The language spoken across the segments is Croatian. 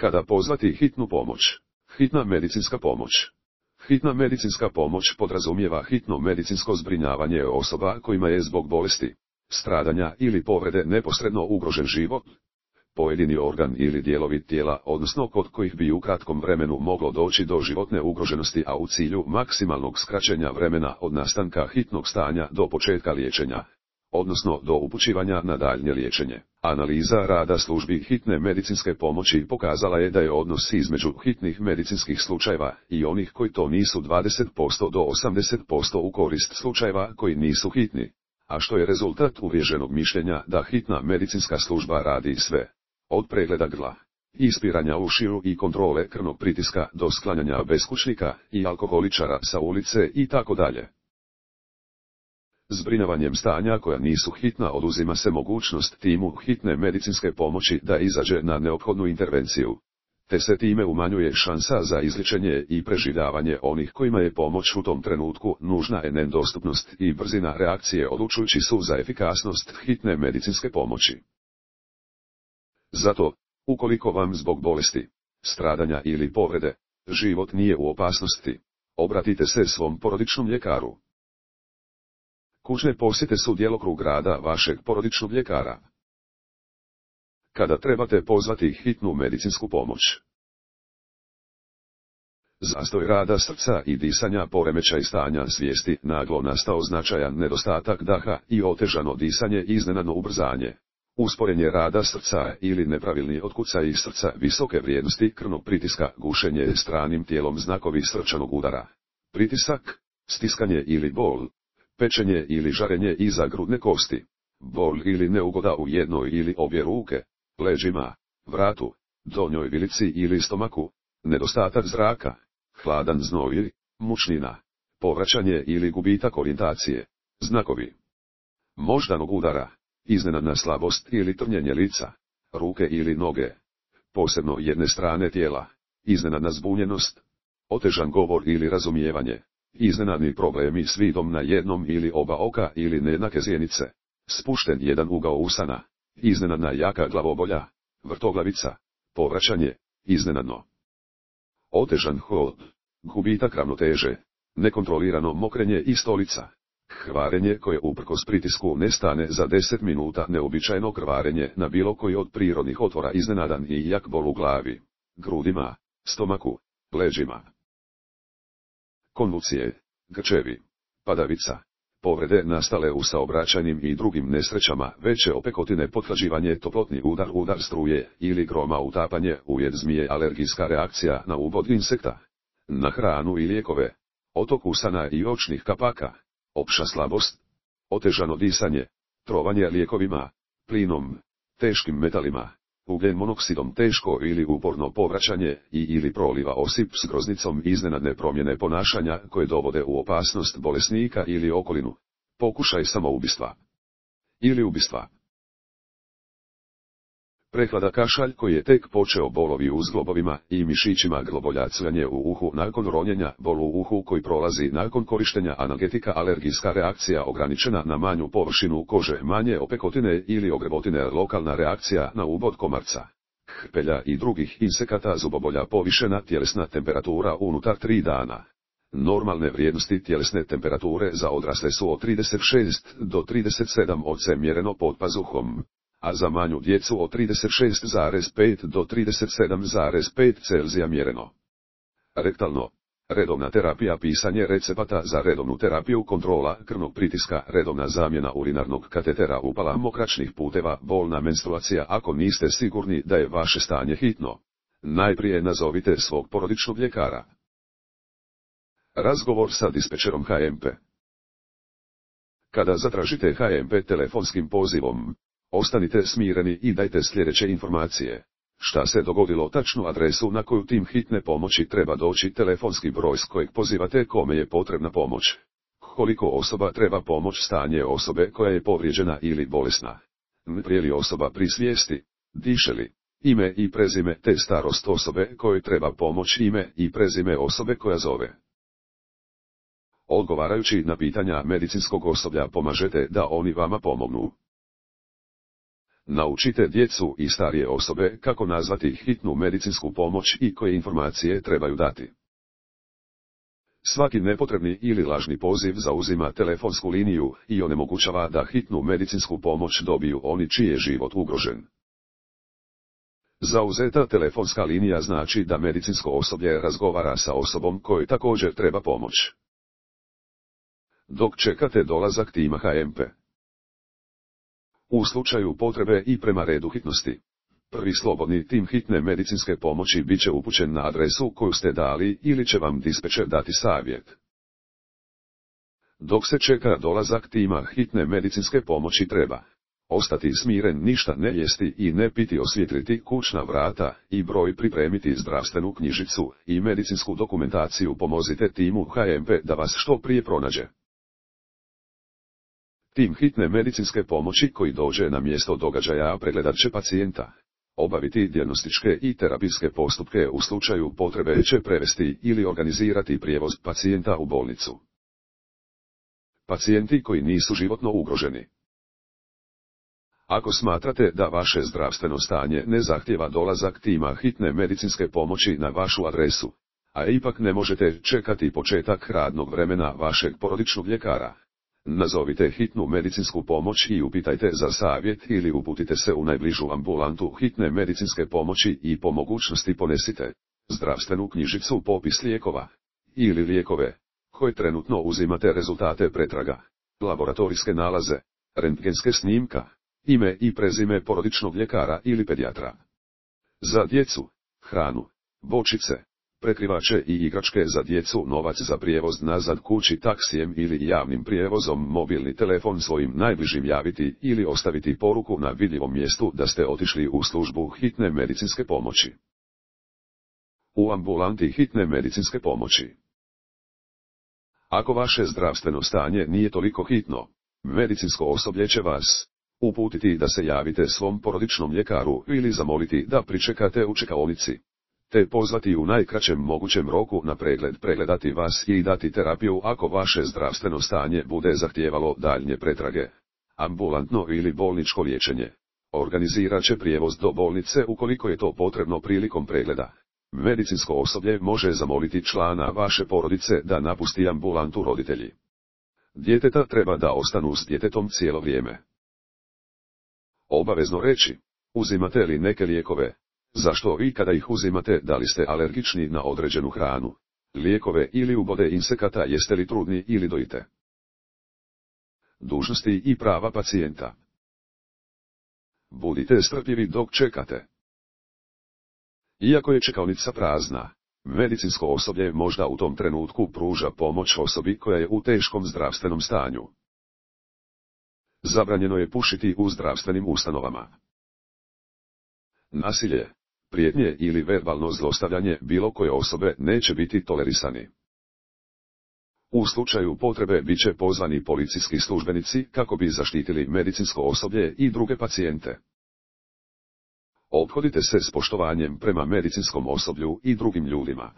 Kada pozvati hitnu pomoć? Hitna medicinska pomoć. Hitna medicinska pomoć podrazumijeva hitno medicinsko zbrinjavanje osoba kojima je zbog bolesti, stradanja ili povrede neposredno ugrožen život, pojedini organ ili dijelovi tijela, odnosno kod kojih bi u kratkom vremenu moglo doći do životne ugroženosti, a u cilju maksimalnog skraćenja vremena od nastanka hitnog stanja do početka liječenja, odnosno do upućivanja na daljnje liječenje. Analiza rada službi hitne medicinske pomoći pokazala je da je odnos između hitnih medicinskih slučajeva i onih koji to nisu 20% do 80% u korist slučajeva koji nisu hitni, a što je rezultat uvriježenog mišljenja da hitna medicinska služba radi sve. Od pregleda grla, ispiranja ušiju i kontrole krvnog pritiska do sklanjanja beskućnika i alkoholičara sa ulice i tako dalje. Zbrinjavanjem stanja koja nisu hitna oduzima se mogućnost timu hitne medicinske pomoći da izađe na neophodnu intervenciju, te se time umanjuje šansa za izliječenje i preživljavanje onih kojima je pomoć u tom trenutku nužna. Dostupnost i brzina reakcije odlučujući su za efikasnost hitne medicinske pomoći. Zato, ukoliko vam zbog bolesti, stradanja ili povrede, život nije u opasnosti, obratite se svom porodičnom ljekaru. Kućne posjete su djelokrug rada vašeg porodičnog ljekara. Kada trebate pozvati hitnu medicinsku pomoć? Zastoj rada srca i disanja, poremećaj stanja svijesti, naglo nastao značajan nedostatak daha i otežano disanje, iznenadno ubrzanje, usporenje rada srca ili nepravilni otkucaj srca, visoke vrijednosti krvnog pritiska, gušenje stranim tijelom, znakovi srčanog udara, pritisak, stiskanje ili bol, pečenje ili žarenje iza grudne kosti, bol ili neugoda u jednoj ili obje ruke, leđima, vratu, donjoj vilici ili stomaku, nedostatak zraka, hladan znoj, mučnina, povraćanje ili gubitak orijentacije, znakovi moždanog udara, iznenadna slabost ili trnjenje lica, ruke ili noge, posebno jedne strane tijela, iznenadna zbunjenost, otežan govor ili razumijevanje, iznenadni problemi s vidom na jednom ili oba oka ili nejednake zjenice, spušten jedan ugao usana, iznenadna jaka glavobolja, vrtoglavica, povraćanje, iznenadno, otežan hod, gubitak ravnoteže, nekontrolirano mokrenje i stolica, krvarenje koje uprkos pritisku ne stane za 10 minuta, neobičajno krvarenje na bilo koji od prirodnih otvora, iznenadan i jak bol u glavi, grudima, stomaku, leđima, konvulsije, grčevi, padavica, povrede nastale u saobraćajnim i drugim nesrećama, veće opekotine, pothlađivanje, toplotni udar, udar struje ili groma, utapanje, ujed zmije, alergijska reakcija na ubod insekta, na hranu i lijekove, otok usana i očnih kapaka, opća slabost, otežano disanje, trovanje lijekovima, plinom, teškim metalima, ugljen monoksidom, teško ili uporno povraćanje ili proliva osip s groznicom, iznenadne promjene ponašanja koje dovode u opasnost bolesnika ili okolinu, pokušaj samoubistva ili ubistva. Prehlada, kašalj koji je tek počeo, bolovi u zglobovima i mišićima grlobolja, cvjanje u uhu nakon ronjenja, bol u uhu koji prolazi nakon korištenja analgetika, alergijska reakcija ograničena na manju površinu kože, manje opekotine ili ogrebotine, lokalna reakcija na ubod komarca, hrpelja i drugih insekata, zubobolja, povišena tjelesna temperatura unutar 3 dana. Normalne vrijednosti tjelesne temperature za odrasle su od 36 do 37 oC mjereno pod pazuhom, a za manju djecu od 36,5 do 37,5 Celzija mjereno. Rektalno, redovna terapija, pisanje recepata za redovnu terapiju, kontrola krvnog pritiska, redovna zamjena urinarnog katetera, upala mokračnih puteva, bolna menstruacija. Ako niste sigurni da je vaše stanje hitno, najprije nazovite svog porodičnog ljekara. Razgovor sa dispečerom HMP. Kada zatražite HMP telefonskim pozivom, ostanite smireni i dajte sljedeće informacije. Šta se dogodilo, tačnu adresu na koju tim hitne pomoći treba doći, telefonski broj s kojeg pozivate, kome je potrebna pomoć, koliko osoba treba pomoć, stanje osobe koja je povrijeđena ili bolesna, prije li osoba pri svijesti, diše li, ime i prezime te starost osobe kojoj treba pomoć, ime i prezime osobe koja zove. Odgovarajući na pitanja medicinskog osoblja pomažete da oni vama pomognu. Naučite djecu i starije osobe kako nazvati hitnu medicinsku pomoć i koje informacije trebaju dati. Svaki nepotrebni ili lažni poziv zauzima telefonsku liniju i onemogućava da hitnu medicinsku pomoć dobiju oni čiji je život ugrožen. Zauzeta telefonska linija znači da medicinsko osoblje razgovara sa osobom kojoj također treba pomoć. Dok čekate dolazak tima HMP. U slučaju potrebe i prema redu hitnosti, prvi slobodni tim hitne medicinske pomoći bit će upućen na adresu koju ste dali ili će vam dispečer dati savjet. Dok se čeka dolazak tima hitne medicinske pomoći treba ostati smiren, ništa ne jesti i ne piti, osvijetliti kućna vrata i broj, pripremiti zdravstvenu knjižicu i medicinsku dokumentaciju. Pomozite timu HMP da vas što prije pronađe. Tim hitne medicinske pomoći koji dođe na mjesto događaja pregledat će pacijenta, obaviti dijagnostičke i terapijske postupke, u slučaju potrebe će prevesti ili organizirati prijevoz pacijenta u bolnicu. Pacijenti koji nisu životno ugroženi. Ako smatrate da vaše zdravstveno stanje ne zahtijeva dolazak tima hitne medicinske pomoći na vašu adresu, a ipak ne možete čekati početak radnog vremena vašeg porodičnog ljekara, nazovite hitnu medicinsku pomoć i upitajte za savjet ili uputite se u najbližu ambulantu hitne medicinske pomoći i po mogućnosti ponesite zdravstvenu knjižicu, popis lijekova ili lijekove koje trenutno uzimate, rezultate pretraga, laboratorijske nalaze, rentgenske snimka, ime i prezime porodičnog ljekara ili pedijatra. Za djecu, hranu, bočice, prekrivače i igračke za djecu, novac za prijevoz nazad kući taksijem ili javnim prijevozom, mobilni telefon svojim najbližim javiti ili ostaviti poruku na vidljivom mjestu da ste otišli u službu hitne medicinske pomoći. U ambulanti hitne medicinske pomoći. Ako vaše zdravstveno stanje nije toliko hitno, medicinsko osoblje će vas uputiti da se javite svom porodičnom ljekaru ili zamoliti da pričekate u čekaonici, te pozvati u najkraćem mogućem roku na pregled, pregledati vas i dati terapiju ako vaše zdravstveno stanje bude zahtijevalo daljnje pretrage, ambulantno ili bolničko liječenje. Organizirat će prijevoz do bolnice ukoliko je to potrebno prilikom pregleda. Medicinsko osoblje može zamoliti člana vaše porodice da napusti ambulantu. Roditelji djeteta treba da ostanu s djetetom cijelo vrijeme. Obavezno reći, uzimate li neke lijekove, zašto i kada ih uzimate, da li ste alergični na određenu hranu, lijekove ili ubode insekata, jeste li trudni ili dojite. Dužnosti i prava pacijenta. Budite strpljivi dok čekate. Iako je čekaonica prazna, medicinsko osoblje možda u tom trenutku pruža pomoć osobi koja je u teškom zdravstvenom stanju. Zabranjeno je pušiti u zdravstvenim ustanovama. Nasilje, prijetnje ili verbalno zlostavljanje bilo koje osobe neće biti tolerisani. U slučaju potrebe bit će pozvani policijski službenici kako bi zaštitili medicinsko osoblje i druge pacijente. Ophodite se s poštovanjem prema medicinskom osoblju i drugim ljudima.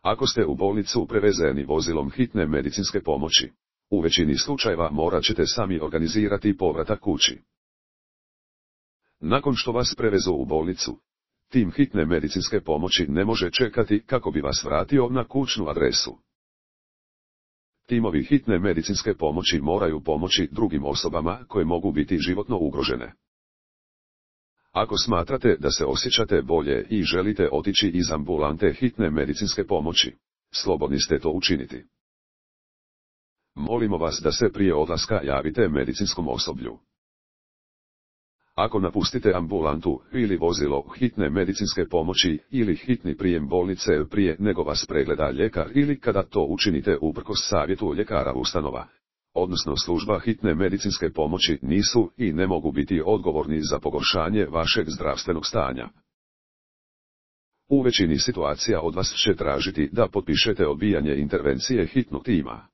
Ako ste u bolnicu prevezeni vozilom hitne medicinske pomoći, u većini slučajeva morat ćete sami organizirati povratak kući. Nakon što vas prevezu u bolnicu, tim hitne medicinske pomoći ne može čekati kako bi vas vratio na kućnu adresu. Timovi hitne medicinske pomoći moraju pomoći drugim osobama koje mogu biti životno ugrožene. Ako smatrate da se osjećate bolje i želite otići iz ambulante hitne medicinske pomoći, slobodni ste to učiniti. Molimo vas da se prije odlaska javite medicinskom osoblju. Ako napustite ambulantu ili vozilo hitne medicinske pomoći ili hitni prijem bolnice prije nego vas pregleda ljekar ili kada to učinite uprkos savjetu ljekara ustanova, odnosno služba hitne medicinske pomoći, nisu i ne mogu biti odgovorni za pogoršanje vašeg zdravstvenog stanja. U većini situacija od vas će tražiti da potpišete odbijanje intervencije hitnog tima.